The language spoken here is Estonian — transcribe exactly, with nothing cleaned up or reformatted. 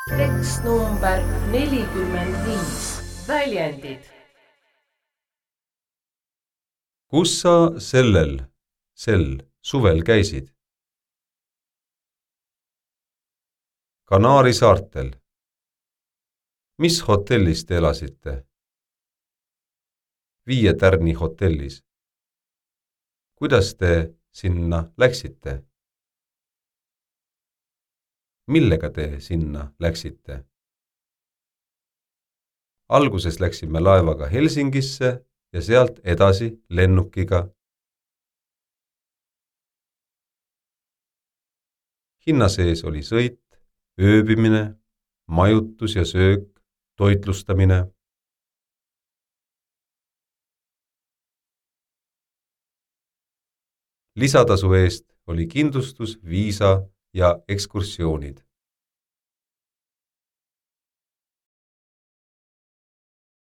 Tekst number nelikümmend viis. Väljendid. Kus sa sellel, sel suvel käisid? Kanaari saartel. Mis hotellis te elasite? Viie tärni hotellis. Kuidas te sinna läksite? Millega te sinna läksite? Alguses läksime laevaga Helsingisse ja sealt edasi lennukiga. Hinna sees oli sõit, ööbimine, majutus ja söök, toitlustamine. Lisatasu eest oli kindlustus, viisa ja ekskursioonid.